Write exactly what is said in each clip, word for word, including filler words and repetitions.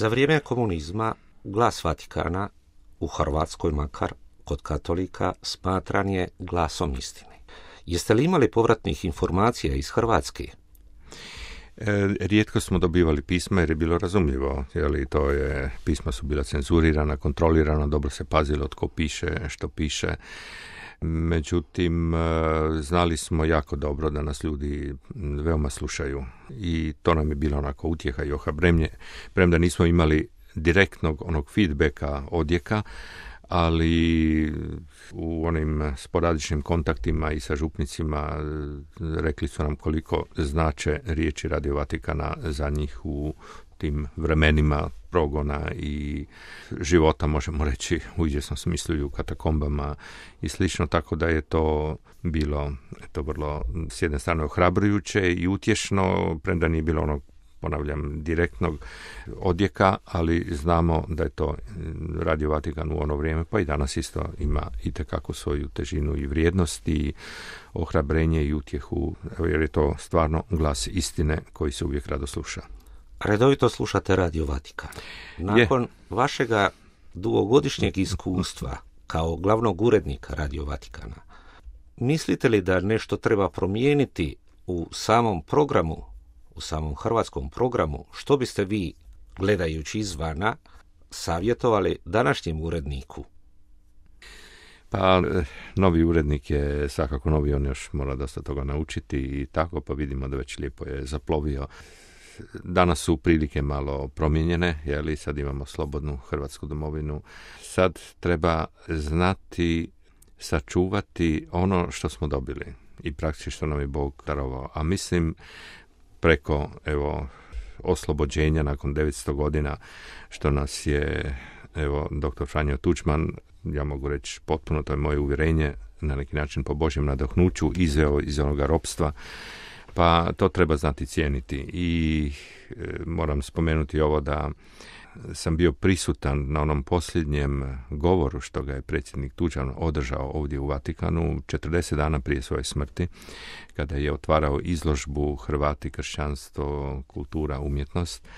Za vrijeme komunizma glas Vatikana, u Hrvatskoj makar, kod katolika, smatran je glasom istine. Jeste li imali povratnih informacija iz Hrvatske? Rijetko smo dobivali pisma jer je bilo razumljivo, jer to je, pisma su bila cenzurirana, kontrolirana, dobro se pazilo tko piše, što piše. Međutim, znali smo jako dobro da nas ljudi veoma slušaju i to nam je bilo onako utjeha i ohrabrenje, premda nismo imali direktnog onog feedbacka, odjeka, ali u onim sporadičnim kontaktima i sa župnicima rekli su nam koliko znače riječi Radio Vatikana za njih u tim vremenima progona i života, možemo reći, u izvjesnom smislu i u katakombama i slično, tako da je to bilo eto, vrlo s jedne strane ohrabrujuće i utješno, premda nije bilo onog, ponavljam, direktnog odjeka, ali znamo da je to Radio Vatikan u ono vrijeme, pa i danas isto ima itekako svoju težinu i vrijednost i ohrabrenje i utjehu, jer je to stvarno glas istine koji se uvijek rado sluša. Redovito slušate Radio Vatikan. Nakon je. vašega dugogodišnjeg iskustva kao glavnog urednika Radio Vatikana, mislite li da nešto treba promijeniti u samom programu, u samom hrvatskom programu? Što biste vi, gledajući izvana, savjetovali današnjem uredniku? Pa, novi urednik je svakako novi, on još mora dosta toga naučiti i tako, pa vidimo da već lijepo je zaplovio. Danas su prilike malo promijenjene, jer sad imamo slobodnu hrvatsku domovinu. Sad treba znati sačuvati ono što smo dobili i praktično što nam je Bog darovao. A mislim preko evo oslobođenja nakon devetsto godina što nas je evo doktor Franjo Tuđman, ja mogu reći potpuno, to je moje uvjerenje, na neki način po Božjem nadahnuću izveo iz onoga ropstva. Pa to treba znati cijeniti i e, moram spomenuti ovo da sam bio prisutan na onom posljednjem govoru što ga je predsjednik Tuđman održao ovdje u Vatikanu četrdeset dana prije svoje smrti, kada je otvarao izložbu Hrvati, kršćanstvo, kultura, umjetnost,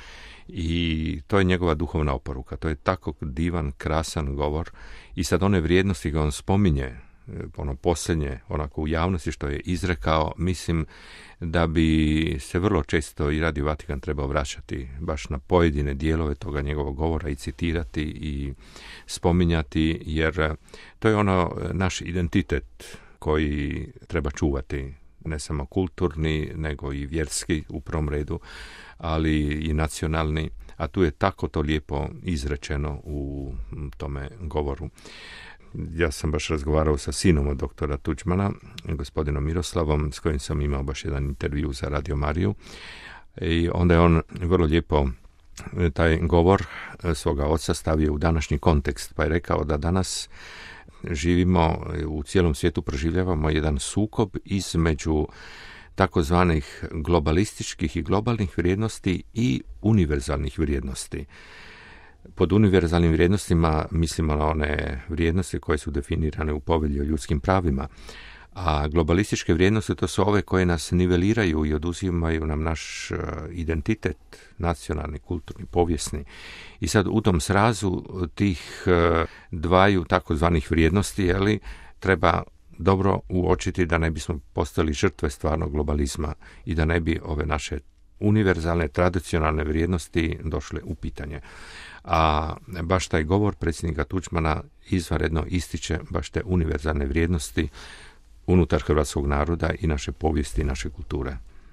i to je njegova duhovna oporuka. To je tako divan, krasan govor i sad one vrijednosti ga on spominje, ono posljednje, onako u javnosti što je izrekao, mislim da bi se vrlo često i Radio Vatikan trebao vraćati baš na pojedine dijelove toga njegovog govora i citirati i spominjati, jer to je ono naš identitet koji treba čuvati, ne samo kulturni, nego i vjerski u prvom redu, ali i nacionalni, a tu je tako to lijepo izrečeno u tome govoru. Ja sam baš razgovarao sa sinom od doktora Tuđmana, gospodinom Miroslavom, s kojim sam imao baš jedan intervju za Radio Mariju, i onda je on vrlo lijepo taj govor svoga oca stavio u današnji kontekst, pa je rekao da danas živimo, u cijelom svijetu proživljavamo jedan sukob između takozvanih globalističkih i globalnih vrijednosti i univerzalnih vrijednosti. Pod univerzalnim vrijednostima mislimo na one vrijednosti koje su definirane u povelji o ljudskim pravima, a globalističke vrijednosti to su ove koje nas niveliraju i oduzimaju nam naš identitet, nacionalni, kulturni, povijesni. I sad u tom srazu tih dvaju takozvanih vrijednosti, jeli, treba dobro uočiti da ne bismo postali žrtve stvarnog globalizma i da ne bi ove naše univerzalne, tradicionalne vrijednosti došle u pitanje. A baš taj govor predsjednika Tuđmana izvanredno ističe baš te univerzalne vrijednosti unutar hrvatskog naroda i naše povijesti i naše kulture.